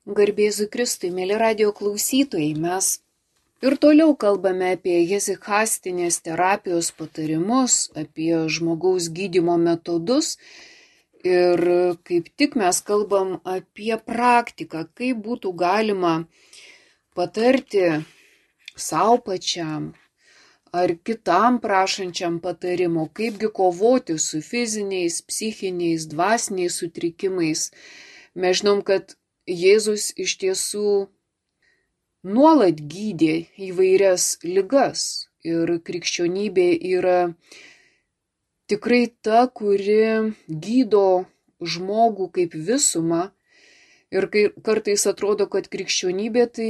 Garbėzu Kristui, mėly radijo klausytojai, mes ir toliau kalbame apie hezikastinės terapijos patarimus, apie žmogaus gydymo metodus ir kaip tik mes kalbam apie praktiką, kaip būtų galima patarti savo pačiam ar kitam prašančiam patarimo, kaipgi kovoti su fiziniais, psichiniais, dvasiniais sutrikimais. Mes žinom, kad Jėzus iš tiesų nuolat gydė įvairias ligas ir krikščionybė yra tikrai ta, kuri gydo žmogų kaip visumą ir kartais atrodo, kad krikščionybė tai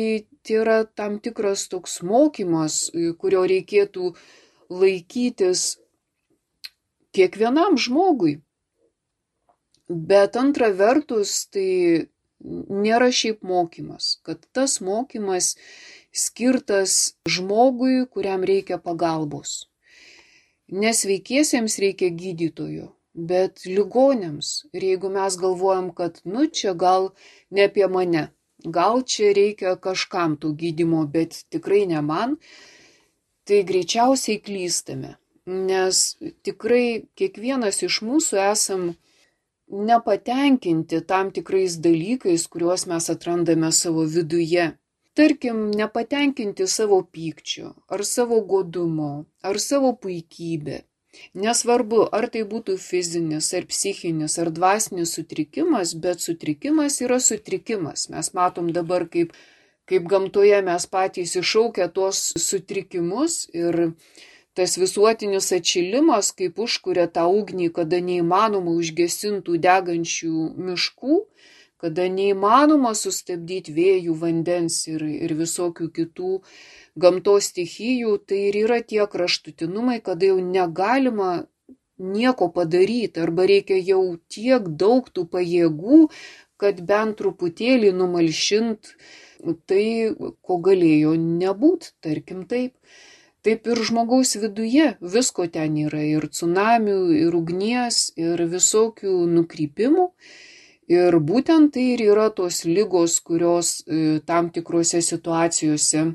yra tam tikras toks mokymas, kurio reikėtų laikytis kiekvienam žmogui. Bet antra vertus, tai nėra šiaip mokymas, kad tas mokymas skirtas žmogui, kuriam reikia pagalbos. Nesveikiesiems reikia gydytojų, bet ligoniams. Ir jeigu mes galvojam, kad čia gal ne apie mane, gal čia reikia kažkam tų gydymo, bet tikrai ne man, tai greičiausiai klystame. Nes tikrai kiekvienas iš mūsų esam nepatenkinti tam tikrais dalykais, kuriuos mes atrandame savo viduje. Tarkim, nepatenkinti savo pykčiu, ar savo godumo, ar savo puikybė. Nesvarbu, ar tai būtų fizinis, ar psichinis, ar dvasinis sutrikimas, bet sutrikimas yra sutrikimas. Mes matom dabar, kaip gamtoje mes patys iššaukia tuos sutrikimus ir tas visuotinis atšilimas, kaip užkuria tą ugnį, kada neįmanoma užgesintų degančių miškų, kada neįmanoma sustabdyti vėjų, vandens ir visokių kitų gamtos stichijų, tai ir yra tie kraštutinumai, kada jau negalima nieko padaryti, arba reikia jau tiek daug tų pajėgų, kad bent truputėlį numalšint tai, ko galėjo nebūt, tarkim taip. Taip ir žmogaus viduje visko ten yra, ir cunamių, ir ugnies, ir visokių nukrypimų. Ir būtent tai ir yra tos ligos, kurios tam tikrose situacijose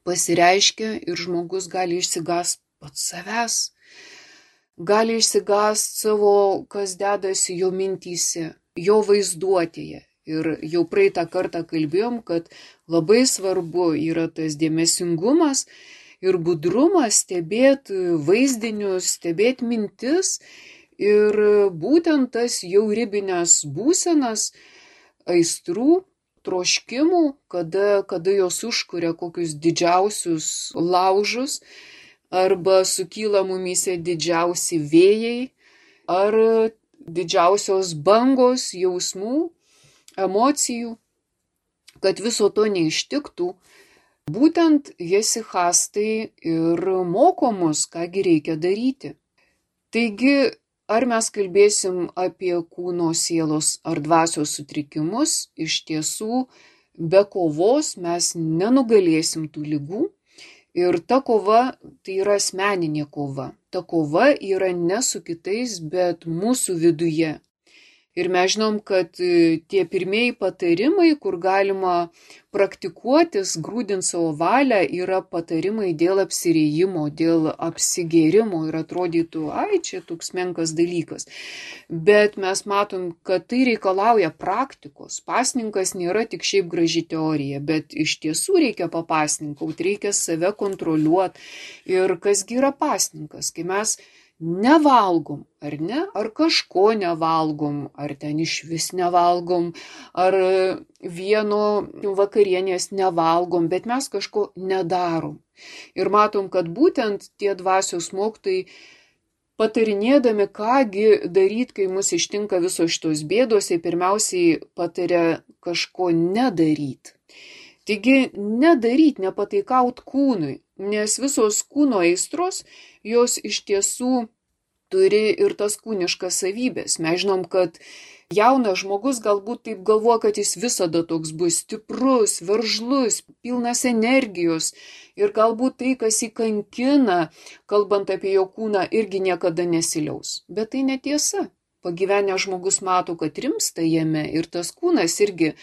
pasireiškia ir žmogus gali išsigąsti pats savęs. Gali išsigąsti savo, kas dedasi jo mintyse, jo vaizduotėje. Ir jau praeitą kartą kalbėjom, kad labai svarbu yra tas dėmesingumas ir budrumas, stebėti vaizdinius, stebėti mintis ir būtent tas jau ribinės būsenas, aistrų, troškimų, kada jos užkuria kokius didžiausius laužus arba sukyla mumyse didžiausi vėjai ar didžiausios bangos jausmų, emocijų, kad viso to neištiktų. Būtent hezikastai ir moko mus, kągi reikia daryti. Taigi, ar mes kalbėsim apie kūno, sielos ar dvasios sutrikimus, iš tiesų be kovos mes nenugalėsim tų ligų. Ir ta kova tai yra asmeninė kova. Ta kova yra ne su kitais, bet mūsų viduje. Ir mes žinom, kad tie pirmieji patarimai, kur galima praktikuotis, grūdint savo valią, yra patarimai dėl apsiriejimo, dėl apsigėrimo ir atrodytų, čia toks menkas dalykas. Bet mes matom, kad tai reikalauja praktikos. Pasninkas nėra tik šiaip graži teorija, bet iš tiesų reikia papasninkauti, reikia save kontroliuoti. Ir kasgi yra pasninkas, kai mes nevalgom, ar ne? Ar kažko nevalgom, ar ten išvis nevalgom, ar vieno vakarienės nevalgom, bet mes kažko nedarom. Ir matom, kad būtent tie dvasios mokytojai patarinėdami, kągi daryti, kai mus ištinka visos šitos bėdos, jie pirmiausiai pataria kažko nedaryti. Taigi nedaryti, nepataikaut kūnui, nes visos kūno aistros, jos iš tiesų turi ir tas kūniškas savybės. Mes žinom, kad jaunas žmogus galbūt taip galvoja, kad jis visada toks bus stiprus, veržlus, pilnas energijos ir galbūt tai, kas jį kankina, kalbant apie jo kūną, irgi niekada nesiliaus. Bet tai netiesa. Pagyvenęs žmogus mato, kad rimsta jame ir tas kūnas irgi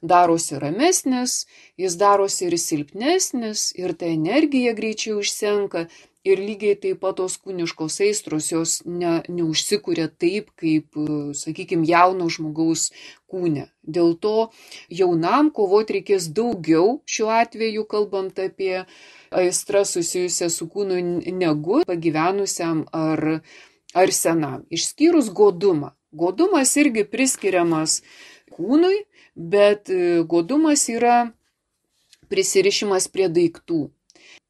darosi ramesnis, jis darosi ir silpnesnis, ir ta energija greičiau išsenka. Ir lygiai taip pat tos kūniškos aistros jos neužsikuria taip, kaip, sakykime, jauno žmogaus kūne. Dėl to jaunam kovoti reikės daugiau, šiuo atveju kalbant apie aistrą susijusią su kūnu, negu pagyvenusiam ar senam. Išskyrus godumą. Godumas irgi priskiriamas kūnui, bet godumas yra prisirišimas prie daiktų.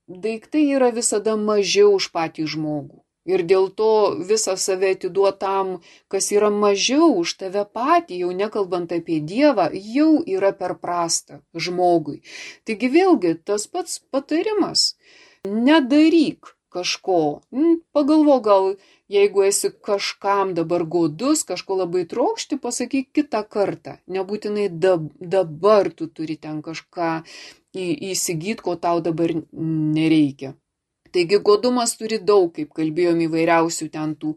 Daiktai yra visada mažiau už patį žmogų. Ir dėl to visą save atiduotam, kas yra mažiau už tave patį, jau nekalbant apie Dievą, jau yra per prasta žmogui. Taigi vėlgi tas pats patarimas. Nedaryk kažko. Pagalvo, gal jeigu esi kažkam dabar godus, kažko labai trokšti, pasakyk kitą kartą. Nebūtinai dabar tu turi ten kažką įsigyti, ko tau dabar nereikia. Taigi godumas turi daug, kaip kalbėjom, įvairiausių ten tų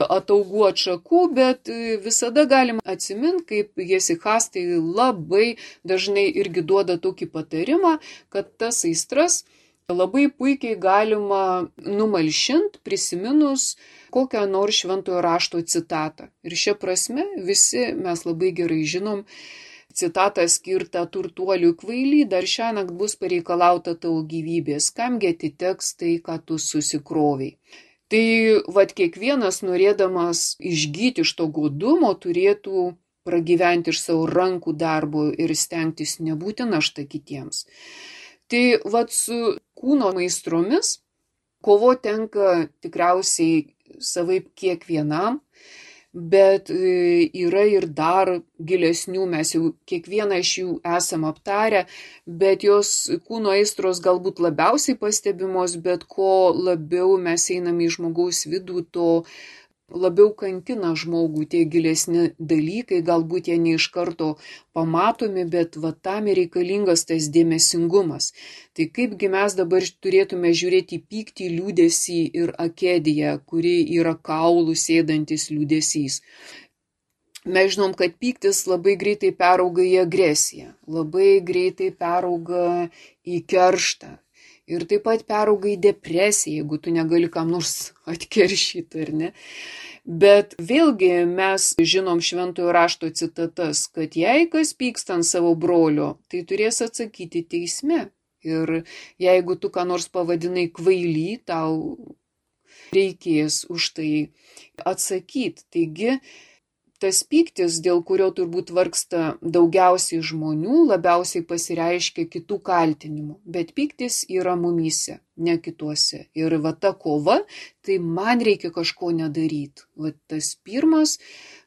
ataugų atšakų, bet visada galima atsiminti, kaip Jesichas tai labai dažnai irgi duoda tokį patarimą, kad tas aistras labai puikiai galima numalšinti, prisiminus kokią nors šventojo rašto citatą. Ir šia prasme visi mes labai gerai žinom citatą skirtą turtuoliui: kvaily, dar šiąnakt bus pareikalauta tavo gyvybės, kamgi atiteks tai, ką tu susikroviai. Tai kiekvienas, norėdamas išgyti iš to godumo, turėtų pragyventi iš savo rankų darbo ir stengtis nebūti našta kitiems. Tai su kūno aistromis kovo tenka tikriausiai savaip kiekvienam, bet yra ir dar gilesnių, mes jau kiekvieną iš jų esam aptarę, bet jos kūno aistros galbūt labiausiai pastebimos, bet ko labiau mes einame į žmogaus vidų, to labiau kankina žmogų tie gilesni dalykai, galbūt jie ne iš karto pamatomi, bet tam reikalingas tas dėmesingumas. Tai kaipgi mes dabar turėtume žiūrėti į pyktį, liūdesį ir akediją, kuri yra kaulų sėdantis liūdesys. Mes žinom, kad pyktis labai greitai perauga į agresiją, labai greitai perauga į kerštą. Ir taip pat perauga į depresiją, jeigu tu negali kam nors atkeršyti, ar ne? Bet vėlgi mes žinom šventojo rašto citatas, kad jei kas pyksta ant savo brolio, tai turės atsakyti teisme. Ir jeigu tu ką nors pavadinai kvaily, tau reikės už tai atsakyti. Taigi, tas pyktis, dėl kurio turbūt vargsta daugiausiai žmonių, labiausiai pasireiškia kitų kaltinimu. Bet pyktis yra mumyse, ne kituose. Ir ta kova, tai man reikia kažko nedaryti. Tas pirmas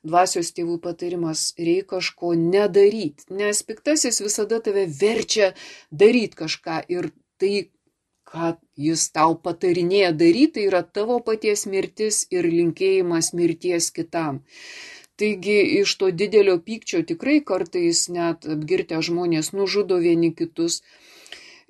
dvasios tėvų patarimas: reikia kažko nedaryti. Nes piktasis visada tave verčia daryti kažką. Ir tai, ką jis tau patarinėja daryti, tai yra tavo paties mirtis ir linkėjimas mirties kitam. Taigi iš to didelio pykčio tikrai kartais net apgirtę žmonės nužudo vieni kitus.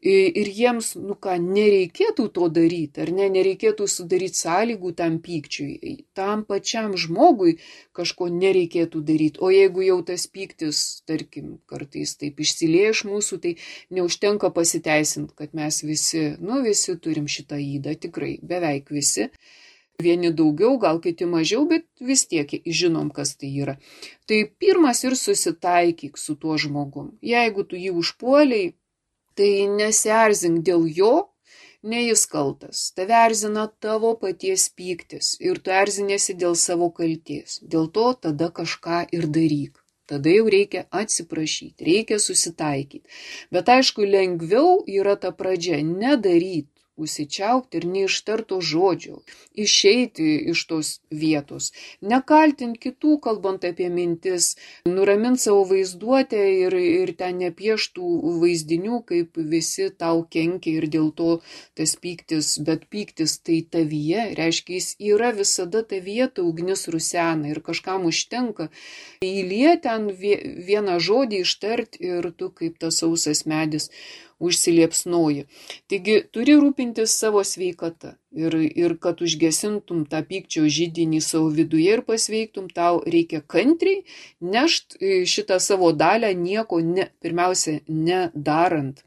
Ir jiems, nereikėtų to daryti, ar ne, nereikėtų sudaryti sąlygų tam pykčiui. Tam pačiam žmogui kažko nereikėtų daryti. O jeigu jau tas pyktis, tarkim, kartais taip išsilieja iš mūsų, tai neužtenka pasiteisinti, kad mes visi turim šitą ydą, tikrai, beveik visi. Vieni daugiau, gal kiti mažiau, bet vis tiek žinom, kas tai yra. Tai pirmas ir susitaikyk su tuo žmogum. Jeigu tu jį užpuoliai, tai nesierzink dėl jo, ne jis kaltas. Tave erzina tavo paties pyktis ir tu erzinėsi dėl savo kalties. Dėl to tada kažką ir daryk. Tada jau reikia atsiprašyti, reikia susitaikyti. Bet aišku, lengviau yra ta pradžia nedaryti. Užsičiaupti ir neištarto žodžio, išeiti iš tos vietos, nekaltinti kitų, kalbant apie mintis, nuraminti savo vaizduotę ir ten nepieštų vaizdinių, kaip visi tau kenkia ir dėl to tas pyktis, bet pyktis tai tavyje, reiškia, jis yra visada tavyje, ta ugnis rusena ir kažkam užtenka įlieti ten vieną žodį ištarti ir tu kaip tas sausas medis užsiliepsnoji. Taigi turi rūpintis savo sveikata ir kad užgesintum tą pykčio židinį savo viduje ir pasveiktum, tau reikia kantriai nešt šitą savo dalią nieko pirmiausia nedarant.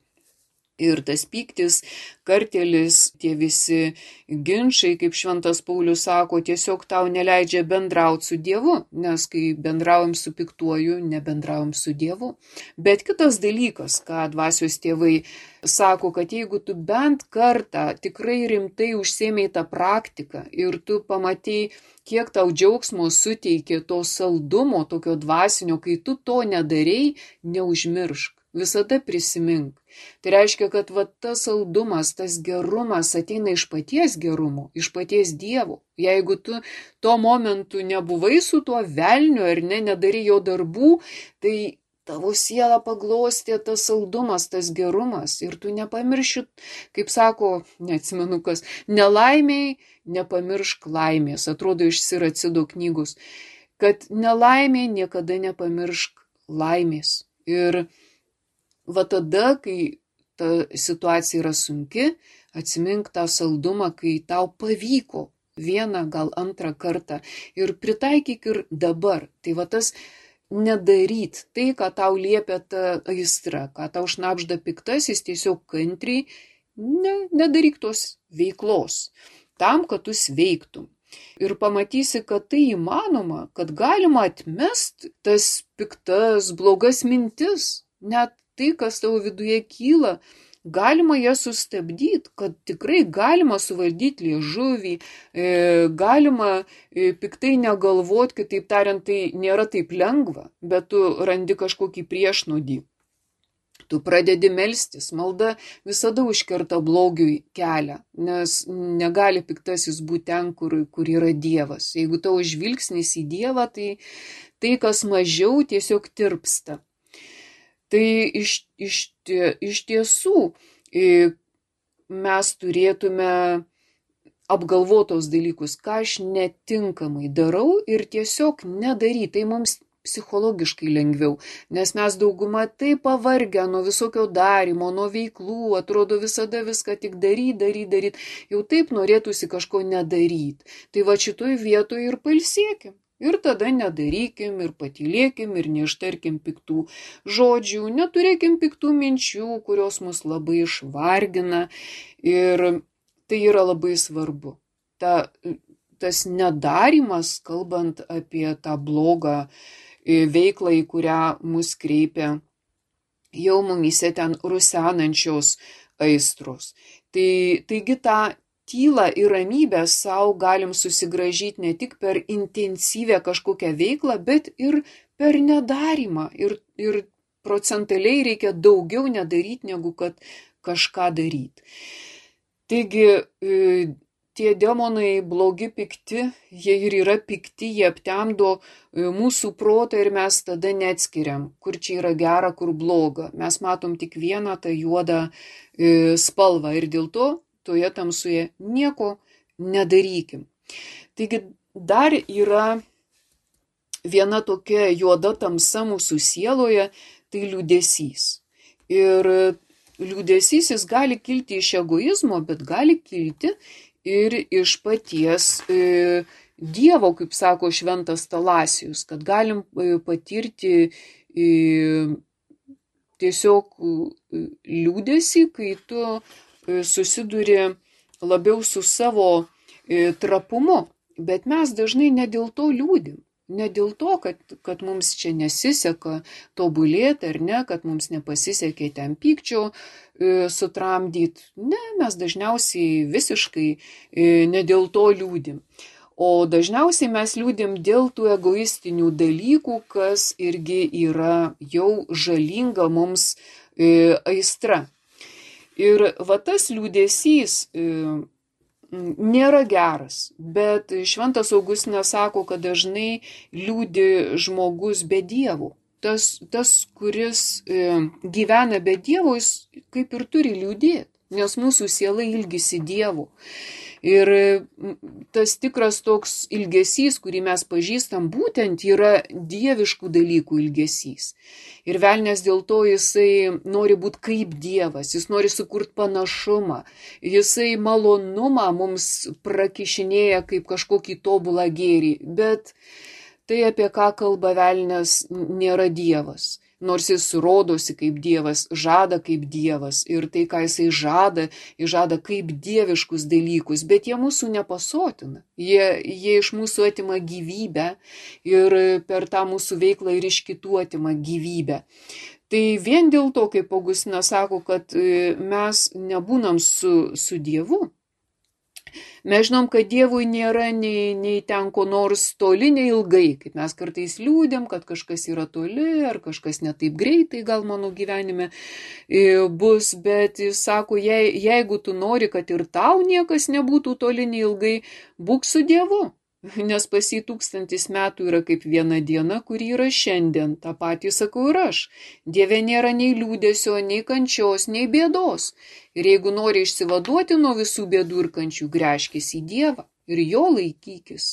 Ir tas pyktis, kartėlis, tie visi ginčai, kaip šventas Paulius sako, tiesiog tau neleidžia bendrauti su Dievu, nes kai bendraujam su piktuoju, nebendraujam su Dievu. Bet kitas dalykas, ką dvasios tėvai sako, kad jeigu tu bent kartą tikrai rimtai užsėmei tą praktiką ir tu pamatei, kiek tau džiaugsmo suteikė to saldumo, tokio dvasinio, kai tu to nedarei, neužmiršk. Visada prisimink. Tai reiškia, kad tas saldumas, tas gerumas ateina iš paties gerumo, iš paties Dievo. Jeigu tu tuo momentu nebuvai su tuo velniu ar nedarai jo darbų, tai tavo sielą paglostė tas saldumas, tas gerumas. Ir tu nepamirši, kaip sako, neatsimenu kas, nelaimiai nepamiršk laimės. Atrodo iš Siracido knygos, kad nelaimiai niekada nepamiršk laimės. Ir va tada, kai ta situacija yra sunki, atsimink tą saldumą, kai tau pavyko vieną, gal antrą kartą ir pritaikyk ir dabar. Tai va tas nedaryt tai, ką tau liepia ta aistra, ką tau šnabžda piktasis, tiesiog kantriai nedaryk tos veiklos, tam, kad tu sveiktum. Ir pamatysi, kad tai įmanoma, kad galima atmest tas piktas, blogas mintis, net tai, kas tavo viduje kyla, galima jas sustabdyti, kad tikrai galima suvaldyti liežuvį, galima piktai negalvoti, kitaip tariant, tai nėra taip lengva, bet tu randi kažkokį priešnodį. Tu pradedi melstis, malda visada užkerta blogiui kelią, nes negali piktasis būti ten, kur yra Dievas. Jeigu tavo žvilgsnis į Dievą, tai kas mažiau tiesiog tirpsta. Tai iš tiesų mes turėtume apgalvotos dalykus, ką aš netinkamai darau ir tiesiog nedaryti. Tai mums psichologiškai lengviau, nes mes dauguma taip pavargę nuo visokio darimo, nuo veiklų, atrodo visada viską tik daryt, jau taip norėtųsi kažko nedaryti. Tai va šitoj vietoje ir pailsėkim. Ir tada nedarykim, ir patylėkim, ir neištarkim piktų žodžių, neturėkim piktų minčių, kurios mus labai išvargina. Ir tai yra labai svarbu. Tas nedarimas, kalbant apie tą blogą veiklą, į kurią mus kreipia jau mumyse ten rusenančios aistros. Taigi tą tylą ir ramybę savo galim susigrąžyti ne tik per intensyvę kažkokią veiklą, bet ir per nedarimą. Ir procentaliai reikia daugiau nedaryti, negu kad kažką daryti. Taigi tie demonai blogi, pikti, jie ir yra pikti, jie aptemdo mūsų protą ir mes tada neatskiriam, kur čia yra gera, kur bloga. Mes matom tik vieną tą juodą spalvą ir dėl to toje tamsoje nieko nedarykim. Taigi dar yra viena tokia juoda tamsa mūsų sieloje, tai liūdesys. Ir liūdesys jis gali kilti iš egoizmo, bet gali kilti ir iš paties Dievo, kaip sako šventas Talasijus, kad galim patirti tiesiog liūdesį, kai tu susiduri labiau su savo trapumu, bet mes dažnai ne dėl to liūdim. Ne dėl to, kad mums čia nesiseka tobulėti ar ne, kad mums nepasisekė ten pykčio sutramdyti. Ne, mes dažniausiai visiškai ne dėl to liūdim. O dažniausiai mes liūdim dėl tų egoistinių dalykų, kas irgi yra jau žalinga mums aistra. Ir va tas liūdesys nėra geras, bet šventas Augustinas sako, kad dažnai liūdi žmogus be Dievo. Tas kuris gyvena be Dievo, jis kaip ir turi liūdėti, nes mūsų siela ilgisi Dievo. Ir tas tikras toks ilgesys, kurį mes pažįstam, būtent yra dieviškų dalykų ilgesys. Ir velnės dėl to jisai nori būti kaip Dievas, jis nori sukurti panašumą, jisai malonumą mums prakišinėja kaip kažkokį tobulą gėrį, bet tai, apie ką kalba velnės, nėra Dievas. Nors jis rodosi kaip Dievas, žada kaip Dievas ir tai, ką jisai žada, jis žada kaip dieviškus dalykus, bet jie mūsų nepasotina. Jie iš mūsų atima gyvybę ir per tą mūsų veiklą ir iš kitų atima gyvybę. Tai vien dėl to, kaip Augustinas sako, kad mes nebūnam su Dievu. Mes žinom, kad Dievui nėra nei ten ko nors toli, nei ilgai, kaip mes kartais liūdėm, kad kažkas yra toli, ar kažkas ne taip greitai gal mano gyvenime bus, bet jis sako, jeigu tu nori, kad ir tau niekas nebūtų toli, nei ilgai, būk su Dievu. Nes pas jį 1000 metų yra kaip viena diena, kuri yra šiandien. Ta patį sakau ir aš. Dieve nėra nei liūdesio, nei kančios, nei bėdos. Ir jeigu nori išsivaduoti nuo visų bėdų ir kančių, gręžkis į Dievą ir jo laikykis.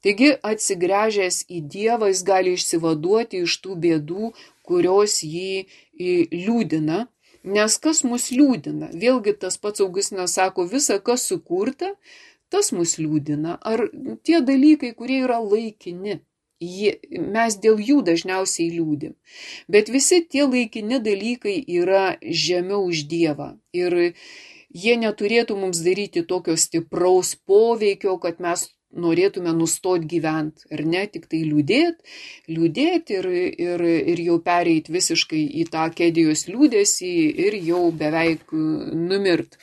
Taigi atsigręžęs į Dievą jis gali išsivaduoti iš tų bėdų, kurios jį liūdina. Nes kas mus liūdina? Vėlgi tas pats Augustinas sako, visa kas sukurta, tas mus liūdina, ar tie dalykai, kurie yra laikini, mes dėl jų dažniausiai liūdim. Bet visi tie laikini dalykai yra žemiau už Dievą ir jie neturėtų mums daryti tokio stipraus poveikio, kad mes norėtume nustoti gyventi, ar ne, tik tai liūdėti ir jau pereiti visiškai į tą kedijos liūdesį ir jau beveik numirt.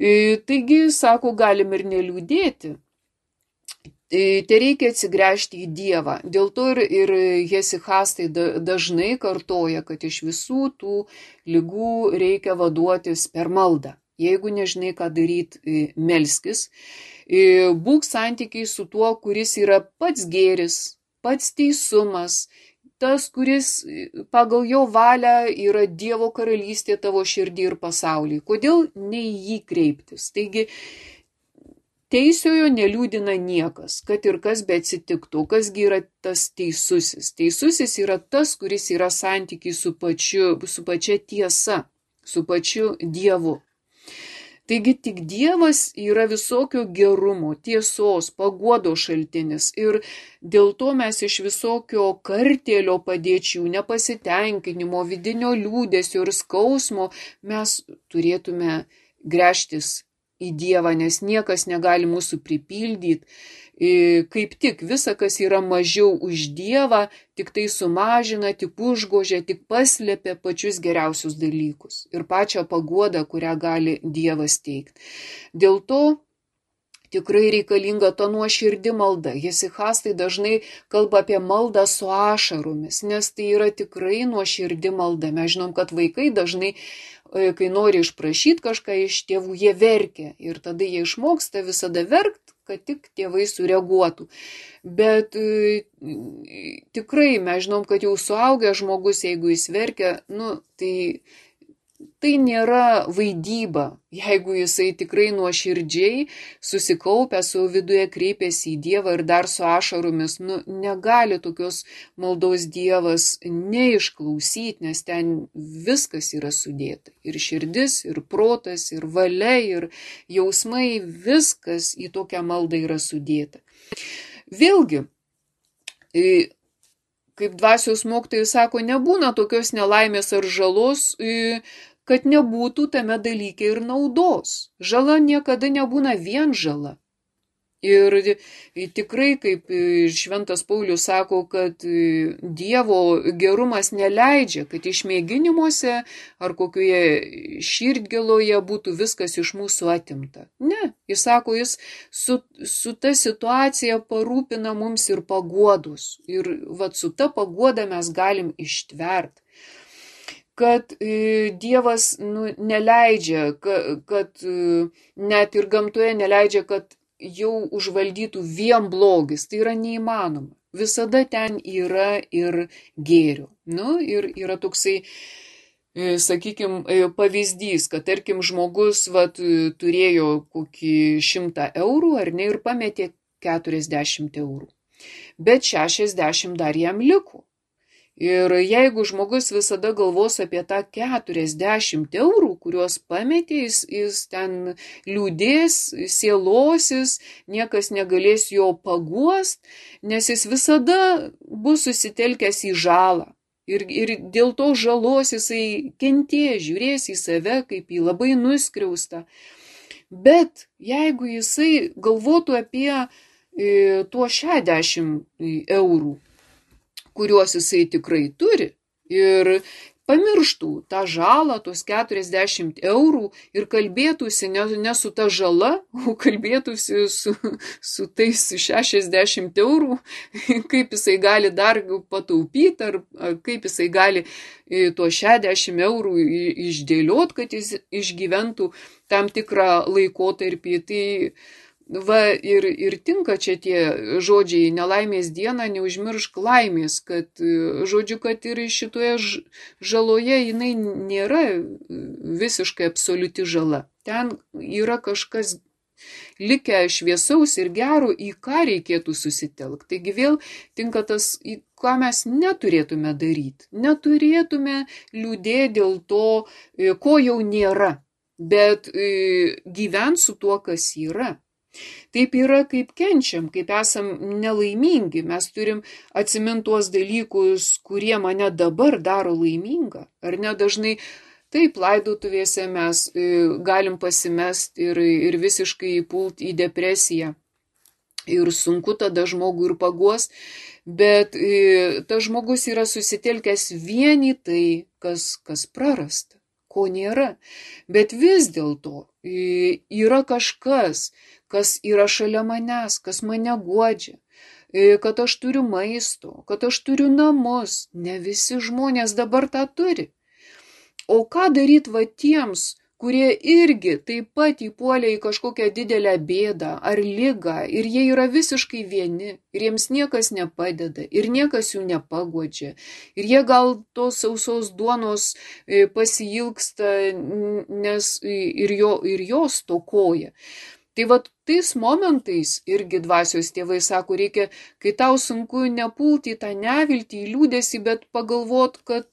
Taigi, sako, galim ir neliūdėti. Tai reikia atsigręžti į Dievą. Dėl to ir hesichastai dažnai kartoja, kad iš visų tų ligų reikia vaduotis per maldą. Jeigu nežinai, ką daryti, melskis. Būk santykiai su tuo, kuris yra pats gėris, pats teisumas, tas, kuris pagal jo valią yra Dievo karalystė tavo širdį ir pasaulį. Kodėl ne į jį kreiptis? Taigi, teisiojo neliūdina niekas, kad ir kas be atsitiktų. Kasgi yra tas teisusis? Teisusis yra tas, kuris yra santykiai su pačia tiesa, su pačiu Dievu. Taigi tik Dievas yra visokio gerumo, tiesos, paguodos šaltinis ir dėl to mes iš visokio kartėlio padėčių, nepasitenkinimo, vidinio liūdesio ir skausmo mes turėtume gręžtis į Dievą, nes niekas negali mūsų pripildyti. Kaip tik visa, kas yra mažiau už Dievą, tik tai sumažina, tik užgožia, tik paslėpia pačius geriausius dalykus ir pačią paguodą, kurią gali Dievas teikti. Dėl to tikrai reikalinga ta nuoširdi malda. Hesichastai dažnai kalba apie maldą su ašaromis, nes tai yra tikrai nuoširdi malda. Mes žinom, kad vaikai dažnai, kai nori išprašyti kažką iš tėvų, jie verkia ir tada jie išmoksta visada verkti, kad tik tėvai sureaguotų. Bet tikrai mes žinom, kad jau suaugęs žmogus, jeigu jis verkia, tai nėra vaidyba. Jeigu jisai tikrai nuoširdžiai susikaupę savo viduje kreipiasi į Dievą ir dar su ašaromis, negali tokios maldos Dievas neišklausyti, nes ten viskas yra sudėta. Ir širdis, ir protas, ir valia, ir jausmai, viskas į tokią maldą yra sudėta. Vėlgi, kaip dvasios mokytojai sako, nebūna tokios nelaimės ar žalos, kad nebūtų tame dalyke ir naudos. Žala niekada nebūna vien žala. Ir tikrai, kaip šventas Paulius sako, kad Dievo gerumas neleidžia, kad išmėginimuose ar kokioje širdgėloje būtų viskas iš mūsų atimta. Ne, jis sako, jis su ta situacija parūpina mums ir paguodus. Ir su ta paguoda mes galim ištverti. Kad Dievas neleidžia, kad net ir gamtoje neleidžia, kad jau užvaldytų vien blogis. Tai yra neįmanoma. Visada ten yra ir gėrio. Ir yra toksai sakykime, pavyzdys, kad tarkim žmogus turėjo kokį 100 eurų ar ne ir pametė 40 eurų, bet 60 dar jam liko. Ir jeigu žmogus visada galvos apie tą 40 eurų, kuriuos pametė, jis ten liūdės, sielosis, niekas negalės jo paguost, nes jis visada bus susitelkęs į žalą. Ir dėl to žalos jisai kentės, žiūrės į save kaip į labai nuskriaustą. Bet jeigu jisai galvotų apie tuo 60 eurų, kuriuos jisai tikrai turi ir pamirštų tą žalą, tos 40 eurų ir kalbėtųsi ne su ta žala, o kalbėtųsi su tais 60 eurų, kaip jisai gali dar pataupyti ar kaip jisai gali tuos 60 eurų išdėliot, kad jis išgyventų tam tikrą laikotarpį. Tai ir tinka čia tie žodžiai nelaimės dieną, neužmiršk laimės, kad žodžiu, kad ir šitoje žaloje jinai nėra visiškai absoliuti žala. Ten yra kažkas likę šviesaus ir gero, į ką reikėtų susitelkti. Taigi vėl tinka tas, į ką mes neturėtume daryti. Neturėtume liūdėti dėl to, ko jau nėra, bet gyventi su tuo, kas yra. Taip yra, kaip kenčiam, kaip esam nelaimingi. Mes turim atsiminti tuos dalykus, kurie mane dabar daro laimingą. Ar ne dažnai taip laidotuvėse mes galim pasimesti ir visiškai įpult į depresiją. Ir sunku tada žmogų ir paguos, bet tas žmogus yra susitelkęs vien į tai, kas prarasta, ko nėra. Bet vis dėlto yra kažkas, kas yra šalia manęs, kas mane guodžia, kad aš turiu maisto, kad aš turiu namus. Ne visi žmonės dabar tą turi. O ką daryti tiems, kurie irgi taip pat įpuolė į kažkokią didelę bėdą ar ligą ir jie yra visiškai vieni ir jiems niekas nepadeda ir niekas jų nepaguodžia. Ir jie gal tos sausos duonos pasiilgsta, nes ir jos stokoja. Tai tais momentais irgi dvasios tėvai sako, reikia, kai tau sunku nepulti į tą neviltį, į liūdesį, bet pagalvot, kad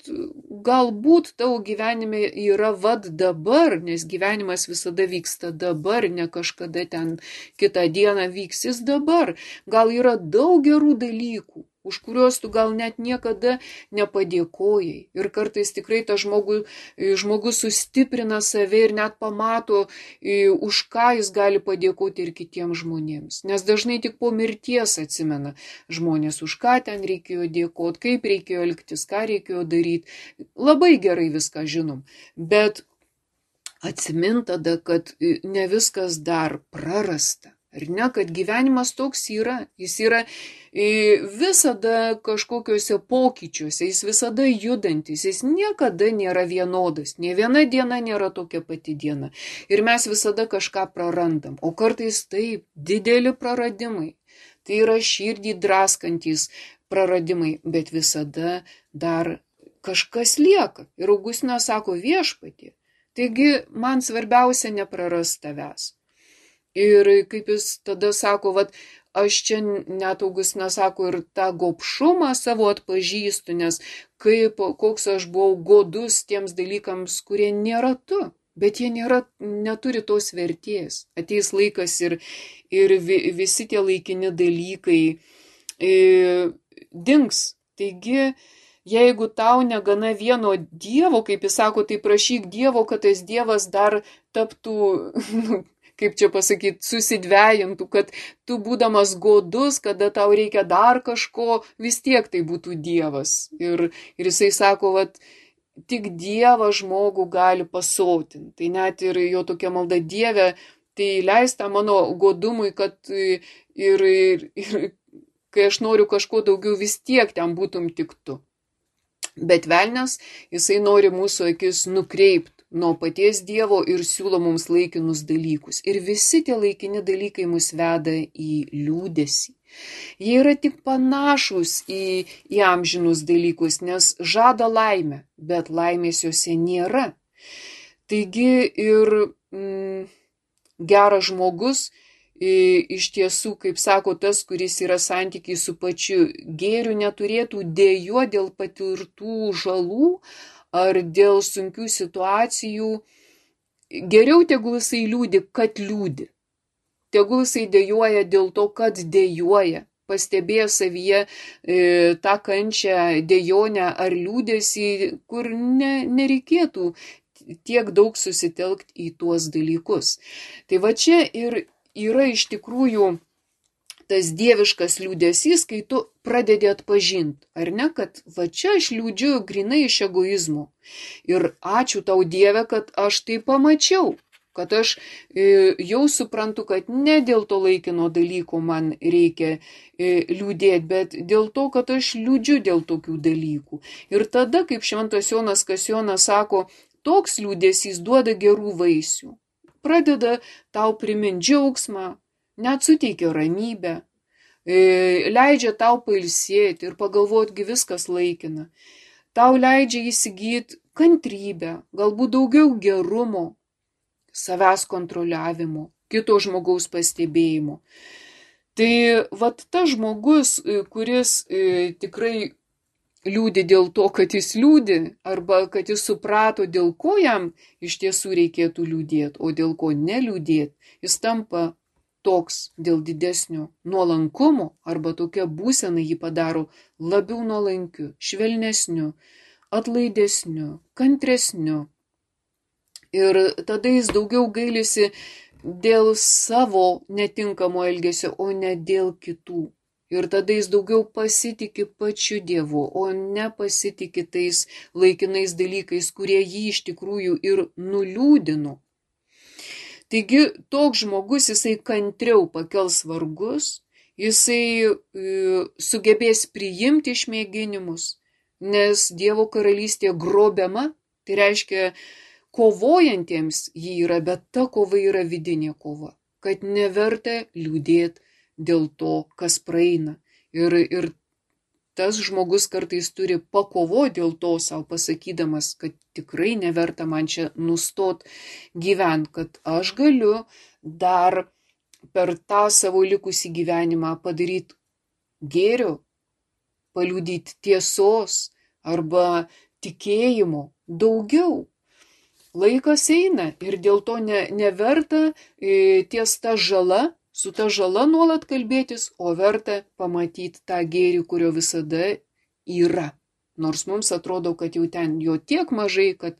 galbūt tavo gyvenime yra dabar, nes gyvenimas visada vyksta dabar, ne kažkada ten kitą dieną vyksis dabar. Gal yra daug gerų dalykų, už kuriuos tu gal net niekada nepadėkojai. Ir kartais tikrai tas žmogus sustiprina save ir net pamato, už ką jis gali padėkoti ir kitiems žmonėms. Nes dažnai tik po mirties atsimena žmonės, už ką ten reikėjo dėkoti, kaip reikėjo elgtis, ką reikėjo daryti. Labai gerai viską žinom, bet atsimint tada, kad ne viskas dar prarasta. Ar ne, kad gyvenimas toks yra, jis yra visada kažkokiuose pokyčiuose, jis visada judantis, jis niekada nėra vienodas, nė viena diena nėra tokia pati diena. Ir mes visada kažką prarandam, o kartais taip, dideli praradimai, tai yra širdį draskantis praradimai, bet visada dar kažkas lieka. Ir Augustinas sako, Viešpatie, taigi man svarbiausia neprarast tavęs. Ir kaip jis tada sako, aš čia net Augustinas sako ir tą gobšumą savo atpažįstu, nes koks aš buvau godus tiems dalykams, kurie nėra tu, bet jie neturi tos vertės. Ateis laikas ir visi tie laikini dalykai dings. Taigi, jeigu tau negana vieno Dievo, kaip jis sako, tai prašyk Dievo, kad tas Dievas dar taptų kaip čia pasakyti, susidvejintų, kad tu būdamas godus, kada tau reikia dar kažko, vis tiek tai būtų Dievas. Ir jisai sako, tik Dievas žmogų gali pasotinti. Tai net ir jo tokia malda, Dieve, tai leista mano godumui, kad ir kai aš noriu kažko daugiau, vis tiek ten būtum tik tu. Bet velnias, jisai nori mūsų akis nukreipti nuo paties Dievo ir siūlo mums laikinus dalykus. Ir visi tie laikini dalykai mus veda į liūdesį. Jie yra tik panašus į amžinus dalykus, nes žada laimę, bet laimės juose nėra. Taigi ir geras žmogus iš tiesų, kaip sako tas, kuris yra santykiai su pačiu gėriu, neturėtų dėjuoti dėl patirtų žalų ar dėl sunkių situacijų. Geriau tegul jisai liūdi, kad liūdi. Tegul jisai dėjuoja dėl to, kad dėjuoja. Pastebėjo savyje tą kančią, dėjonę ar liūdesį, kur nereikėtų tiek daug susitelkti į tuos dalykus. Tai va čia ir yra iš tikrųjų tas dieviškas liūdesys, kai tu pradedi atpažinti, ar ne, kad va čia aš liūdžiu grinai iš egoizmo. Ir ačiū tau Dieve, kad aš tai pamačiau, kad aš jau suprantu, kad ne dėl to laikino dalyko man reikia liūdėti, bet dėl to, kad aš liūdžiu dėl tokių dalykų. Ir tada, kaip šventas Jonas Kasjonas sako, toks liūdesys duoda gerų vaisių. Pradeda tau priminti džiaugsmą, net suteikia ramybę, leidžia tau pailsėti ir pagalvoti, viskas laikina. Tau leidžia įsigyti kantrybę, galbūt daugiau gerumo, savęs kontroliavimo, kito žmogaus pastebėjimo. Tai vat tas žmogus, kuris tikrai liūdi dėl to, kad jis liūdi, arba kad jis suprato, dėl ko jam iš tiesų reikėtų liūdėti, o dėl ko neliūdėti, jis tampa toks dėl didesnio nuolankumo, arba tokia būsena jį padaro labiau nuolankiu, švelnesniu, atlaidesniu, kantresniu. Ir tada jis daugiau gailisi dėl savo netinkamo elgesio, o ne dėl kitų. Ir tada jis daugiau pasitiki pačiu Dievu, o ne pasitiki tais laikinais dalykais, kurie jį iš tikrųjų ir nuliūdino. Taigi toks žmogus, jisai kantriau pakels vargus, jisai sugebės priimti išmėginimus, nes Dievo karalystė grobiama, tai reiškia kovojantiems jį yra, bet ta kova yra vidinė kova, kad neverta liūdėti dėl to, kas praeina. Ir tas žmogus kartais turi pakovoti dėl to savo pasakydamas, kad tikrai neverta man čia nustot gyventi, kad aš galiu dar per tą savo likusį gyvenimą padaryti gėrio, paliudyti tiesos arba tikėjimo daugiau. Laikas eina ir dėl to neverta ties ta žala, su ta žala nuolat kalbėtis, o verta pamatyti tą gėrį, kurio visada yra. Nors mums atrodo, kad jau ten jo tiek mažai, kad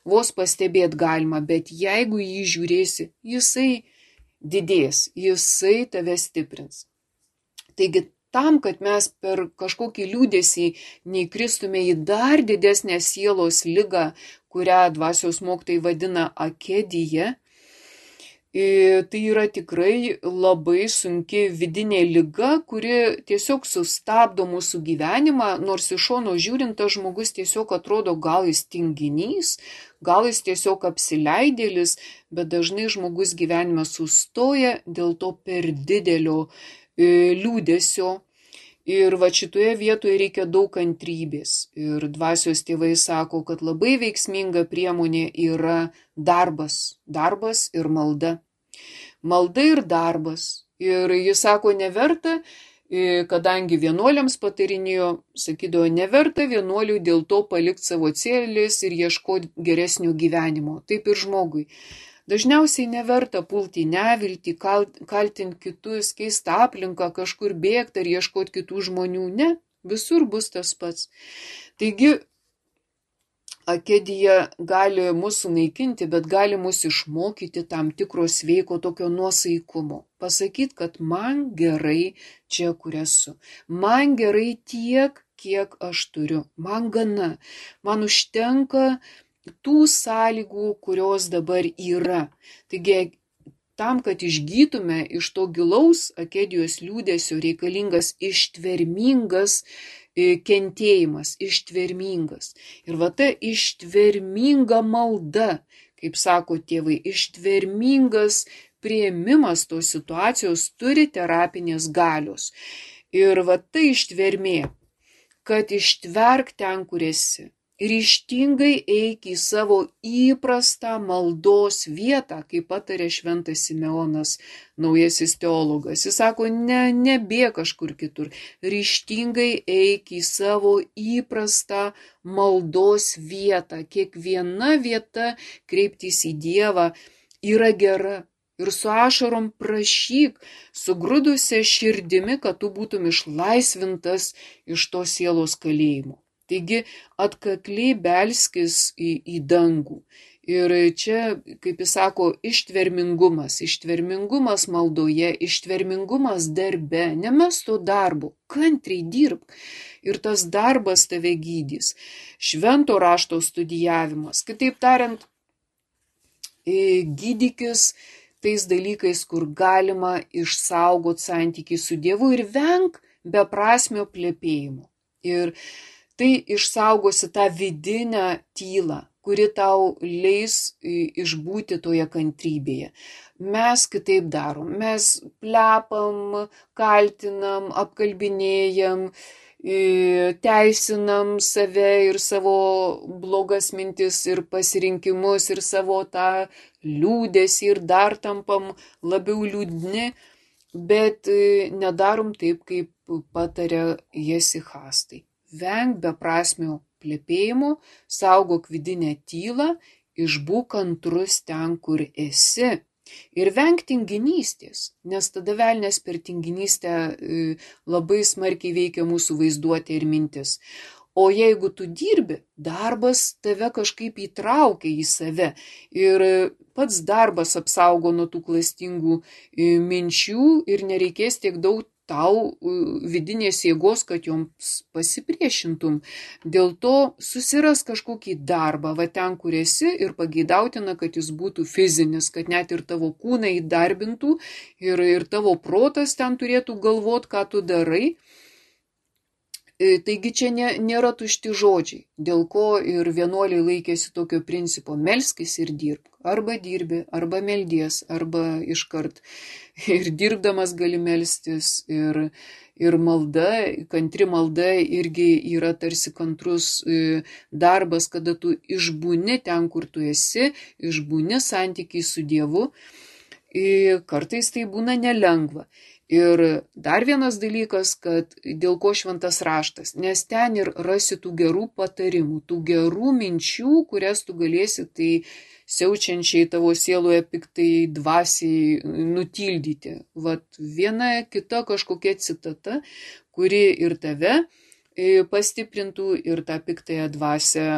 vos pastebėti galima, bet jeigu jį žiūrėsi, jisai didės, jisai tave stiprins. Taigi tam, kad mes per kažkokį liūdesį neįkristume į dar didesnę sielos ligą, kurią dvasios mokytojai vadina akedija, tai yra tikrai labai sunki vidinė liga, kuri tiesiog sustabdo mūsų gyvenimą, nors iš šono žiūrint, tas žmogus tiesiog atrodo, gal jis tinginys, gal jis tiesiog apsileidėlis, bet dažnai žmogus gyvenime sustoja dėl to per didelio liūdesio. Ir va šitoje vietoje reikia daug kantrybės. Ir dvasios tėvai sako, kad labai veiksminga priemonė yra darbas ir malda. Malda ir darbas. Ir jis sako, neverta, kadangi vienuoliams patarinėjo, sakydavo, neverta vienuoliui dėl to palikti savo celės ir ieškoti geresnio gyvenimo. Taip ir žmogui. Dažniausiai neverta pulti neviltį, kaltinti kitus, keisti aplinką, kažkur bėgti ar ieškoti kitų žmonių. Ne, visur bus tas pats. Taigi, akedija gali mus sunaikinti, bet gali mus išmokyti tam tikro sveiko tokio nuosaikumo. Pasakyti, kad man gerai čia, kur esu. Man gerai tiek, kiek aš turiu. Man gana. Man užtenka tų sąlygų, kurios dabar yra. Taigi, tam, kad išgytume iš to gilaus akedijos liūdesio, reikalingas ištvermingas kentėjimas, ištvermingas. Ir va ta ištverminga malda, kaip sako tėvai, ištvermingas priėmimas tos situacijos turi terapinės galios. Ir va tai ištvermė, kad ištverk ten, kur esi. Ryžtingai eik į savo įprastą maldos vietą, kaip patarė šventas Simeonas, naujasis teologas. Jis sako, nebėk kažkur kitur. Ryžtingai eik į savo įprastą maldos vietą. Kiekviena vieta kreiptis į Dievą yra gera. Ir su ašarom prašyk, sugrudusią širdimi, kad tu būtum išlaisvintas iš to sielos kalėjimo. Taigi atkakliai belskis į dangų. Ir čia, kaip jis sako, ištvermingumas maldoje, ištvermingumas darbe, nemes to darbo, kantriai dirbk. Ir tas darbas tave gydys. Švento rašto studijavimas, kitaip tariant, gydykis tais dalykais, kur galima išsaugoti santykį su Dievu ir venk beprasmio plepėjimo. Ir tai išsaugosi tą vidinę tylą, kuri tau leis išbūti toje kantrybėje. Mes kitaip darom, mes plepam, kaltinam, apkalbinėjam, teisinam save ir savo blogas mintis ir pasirinkimus ir savo tą liūdesį ir dar tampam labiau liūdni, bet nedarom taip, kaip patarė Jesichastai. Venk beprasmio plepėjimo, saugok vidinę tylą, išbūk kantrus ten, kur esi. Ir venk tinginystės, nes tada velnias per tinginystę labai smarkiai veikia mūsų vaizduotę ir mintis. O jeigu tu dirbi, darbas tave kažkaip įtraukia į save ir pats darbas apsaugo nuo tų klastingų minčių ir nereikės tiek daug tau vidinės jėgos, kad joms pasipriešintum. Dėl to susiras kažkokį darbą, va ten, kur esi, ir pageidautina, kad jis būtų fizinis, kad net ir tavo kūną įdarbintų ir tavo protas ten turėtų galvot, ką tu darai. Taigi čia nėra tušti žodžiai, dėl ko ir vienuoliai laikėsi tokio principo: melskis ir dirbk. Arba dirbi, arba meldies, arba iškart. Ir dirbdamas gali melstis, ir malda, kantri malda irgi yra tarsi kantrus darbas, kada tu išbūni ten, kur tu esi, išbūni santykiai su Dievu. Kartais tai būna nelengva. Ir dar vienas dalykas, kad dėl ko šventas raštas, nes ten ir rasi tų gerų patarimų, tų gerų minčių, kurias tu galėsi tai siaučiančiai tavo sieloje piktai dvasiai nutildyti. Vat viena kita kažkokia citata, kuri ir tave pastiprintų ir tą piktąją dvasią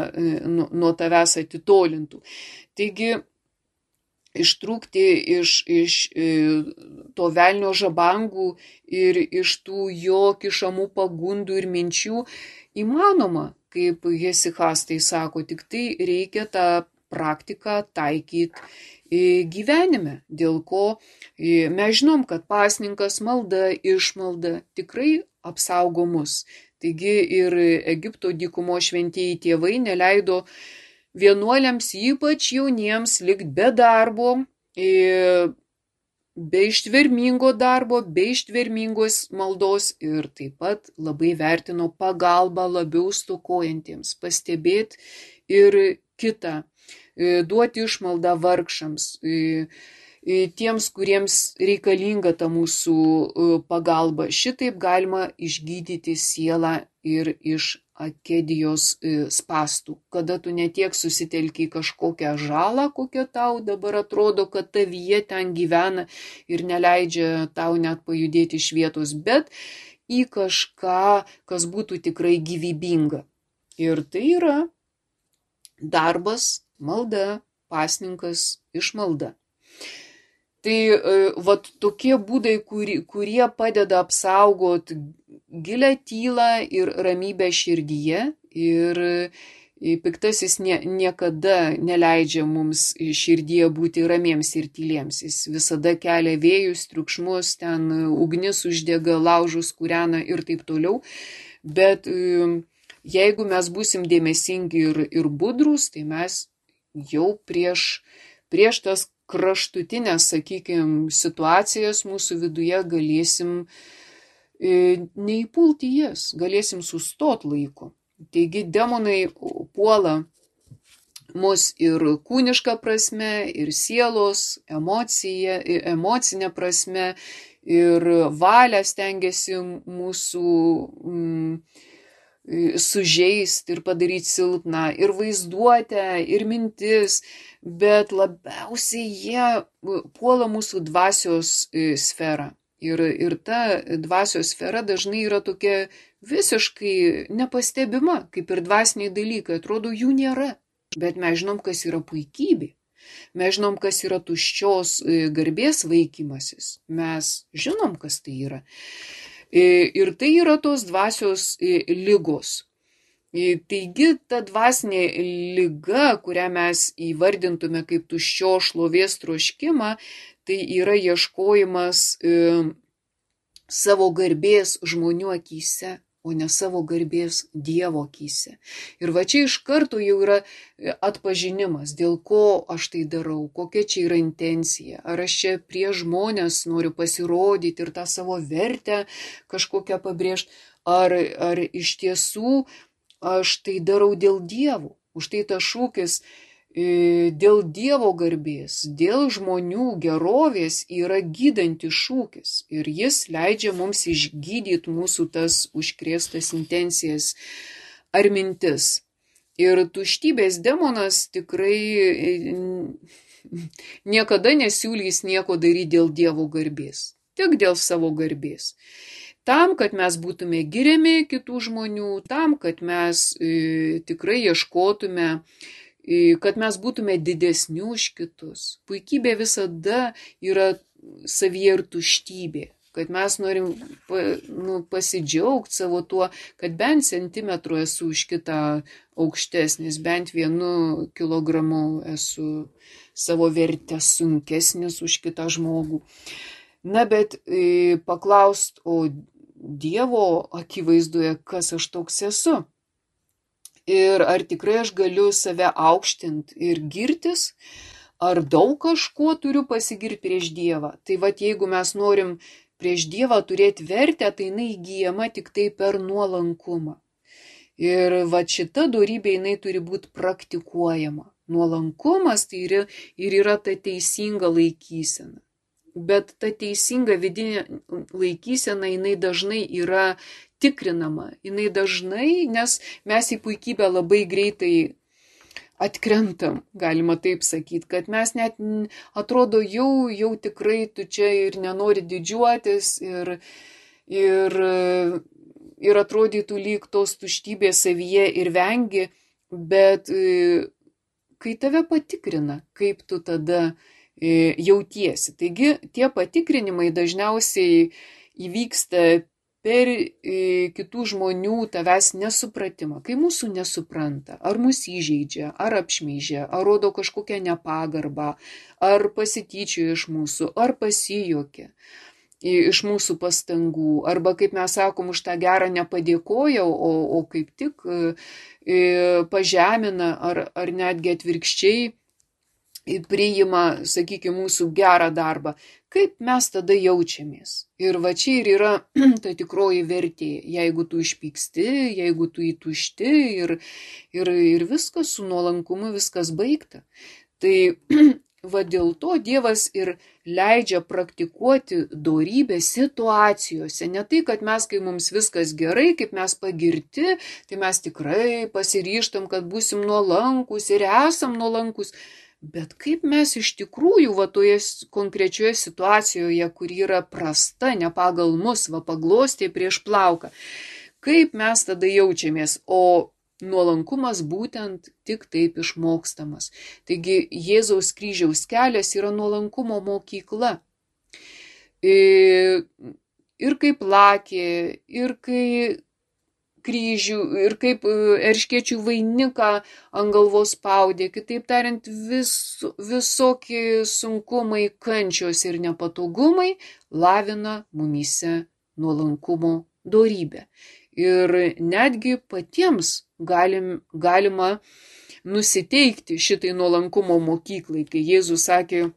nuo tavęs atitolintų. Taigi, ištrūkti iš to velnio žabangų ir iš tų jo kišamų pagundų ir minčių įmanoma, kaip Jesichastai sako, tik tai reikia tą praktiką taikyti gyvenime, dėl ko mes žinom, kad pasninkas, malda, išmalda tikrai apsaugo mus. Taigi ir Egipto dykumo šventieji tėvai neleido vienuoliams, ypač jauniems, likt be darbo, be ištvermingo darbo, be ištvermingos maldos ir taip pat labai vertino pagalbą labiau stokojantiems, pastebėti ir kitą, duoti išmaldą vargšams, tiems, kuriems reikalinga ta mūsų pagalba. Šitaip galima išgydyti sielą ir iš akedijos spastų, kada tu netiek susitelki kažkokią žalą, kokia tau dabar atrodo, kad tavyje ten gyvena ir neleidžia tau net pajudėti iš vietos, bet į kažką, kas būtų tikrai gyvybinga. Ir tai yra darbas, malda, pasninkas, išmalda. Tai vat tokie būdai, kurie padeda apsaugoti gilią tylą ir ramybę širdyje, ir piktasis niekada neleidžia mums širdyje būti ramiems ir tyliems. Jis visada kelia vėjus, triukšmus, ten ugnis uždega, laužus kūrena ir taip toliau. Bet jeigu mes būsim dėmesingi ir budrūs, tai mes jau prieš tas kraštutinės, sakykime, situacijas mūsų viduje galėsim neįpulti jas, galėsim sustot laiku. Taigi demonai puola mus ir kūniška prasme, ir sielos, emocinė prasme, ir valią stengiasi mūsų sužeist ir padaryti silpną, ir vaizduotę, ir mintis, bet labiausiai jie puola mūsų dvasios sferą. Ir ta dvasios sfera dažnai yra tokia visiškai nepastebima, kaip ir dvasiniai dalykai, atrodo jų nėra. Bet mes žinom, kas yra puikybė. Mes žinom, kas yra tuščios garbės vaikymasis. Mes žinom, kas tai yra. Ir tai yra tos dvasios lygos. Taigi ta dvasinė lyga, kurią mes įvardintume kaip tuščios šlovės troškimą, tai yra ieškojimas savo garbės žmonių akyse, o ne savo garbės Dievo akyse. Ir va čia iš karto jau yra atpažinimas, dėl ko aš tai darau, kokia čia yra intencija. Ar aš čia prieš žmonės noriu pasirodyti ir tą savo vertę kažkokią pabrėžti, ar iš tiesų aš tai darau dėl Dievo. Už tai tas šūkis dėl Dievo garbės, dėl žmonių gerovės yra gydantis šūkis ir jis leidžia mums išgydyti mūsų tas užkrėstas intencijas ar mintis. Ir tuštybės demonas tikrai niekada nesiūlys nieko daryti dėl Dievo garbės, tik dėl savo garbės. Tam, kad mes būtume giriami kitų žmonių, tam, kad mes tikrai ieškotume, kad mes būtume didesni už kitus. Puikybė visada yra savyje ir tuštybė, kad mes norim pasidžiaugti savo tuo, kad bent centimetru esu už kitą aukštesnis, bent 1 kilogramu esu savo vertę sunkesnis už kitą žmogų. Na, bet paklaust, o Dievo akivaizdoje, kas aš toks esu? Ir ar tikrai aš galiu save aukštinti ir girtis, ar daug kažkuo turiu pasigirti prieš Dievą. Tai vat jeigu mes norim prieš Dievą turėti vertę, tai jinai įgyjama tik tai per nuolankumą. Ir vat šita dorybė jinai turi būti praktikuojama. Nuolankumas tai ir yra ta teisinga laikysena. Bet ta teisinga vidinė laikysena jinai dažnai yra tikrinama, jinai dažnai, nes mes į puikybę labai greitai atkrentam, galima taip sakyti, kad mes net atrodo jau tikrai tu čia ir nenori didžiuotis ir atrodytų lyg tos tuštybės savyje ir vengi, bet kai tave patikrina, kaip tu tada jautiesi. Taigi tie patikrinimai dažniausiai įvyksta per kitų žmonių tavęs nesupratimą, kai mūsų nesupranta, ar mus įžeidžia, ar apšmeižia, ar rodo kažkokią nepagarbą, ar pasityčioja iš mūsų, ar pasijuokia iš mūsų pastangų, arba kaip mes sakom, už tą gerą nepadėkoja, o kaip tik pažemina, ar netgi atvirkščiai priima, sakykime, mūsų gerą darbą. Kaip mes tada jaučiamės? Ir va čia ir yra ta tikroji vertė. Jeigu tu išpyksti, jeigu tu įtušti ir viskas su nuolankumu, viskas baigta. Tai va dėl to Dievas ir leidžia praktikuoti dorybę situacijose. Ne tai, kad mes, kai mums viskas gerai, kaip mes pagirti, tai mes tikrai pasiryžtam, kad būsim nuolankus ir esam nuolankus. Bet kaip mes iš tikrųjų va toje konkrečioje situacijoje, kur yra prasta, ne pagal mus, va paglostė prieš plauką, kaip mes tada jaučiamės, o nuolankumas būtent tik taip išmokstamas. Taigi Jėzaus kryžiaus kelias yra nuolankumo mokykla. Ir kaip lakė, ir kai kryžių, ir kaip erškėčių vainiką ant galvos spaudė, kitaip tariant, visokie sunkumai, kančios ir nepatogumai lavina mumyse nuolankumo dorybę. Ir netgi patiems galima nusiteikti šitai nuolankumo mokyklai, kai Jėzus sakė,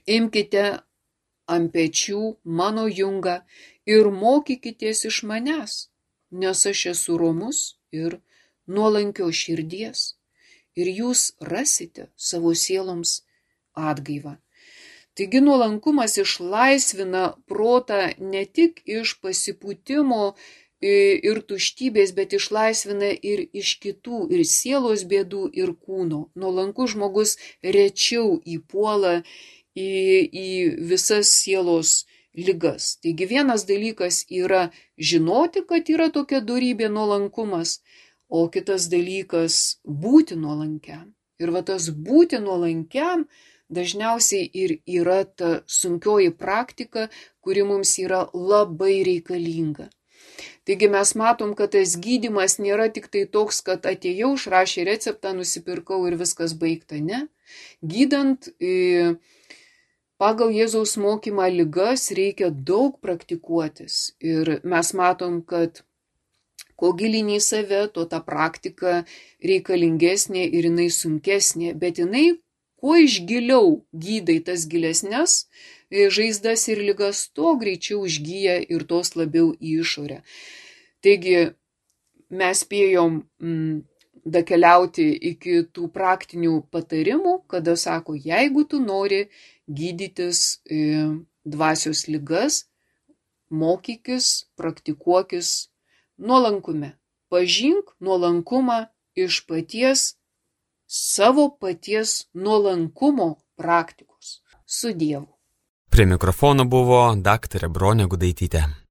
Imkite ant pečių mano jungą ir mokykitės iš manęs, nes aš esu romus ir nuolankios širdies, ir jūs rasite savo sieloms atgaivą. Taigi nuolankumas išlaisvina protą ne tik iš pasipūtimo ir tuštybės, bet išlaisvina ir iš kitų, ir sielos bėdų, ir kūno. Nuolankus žmogus rečiau įpuola į visas sielos ligas. Taigi vienas dalykas yra žinoti, kad yra tokia dorybė nuolankumas, o kitas dalykas būti nuolankiam. Ir va tas būti nuolankiam dažniausiai ir yra ta sunkioji praktika, kuri mums yra labai reikalinga. Taigi mes matom, kad tas gydymas nėra tik tai toks, kad atėjau, išrašė receptą, nusipirkau ir viskas baigta, ne. Gydant pagal Jėzaus mokymą ligas reikia daug praktikuotis. Ir mes matom, kad kuo gilini į save, tuo ta praktika reikalingesnė ir jinai sunkesnė, bet jinai kuo iš giliau gydai tas gilesnes žaizdas ir ligas, tuo greičiau užgyja ir tos labiau į išorę. Taigi mes spėjom dakeliauti iki tų praktinių patarimų, kada sako, jeigu tu nori gydytis dvasios ligas, mokykis, praktikuokis nuolankume. Pažink nuolankumą iš savo paties nuolankumo praktikos. Su Dievu. Prie mikrofono buvo daktarė Bronė Gudaitytė.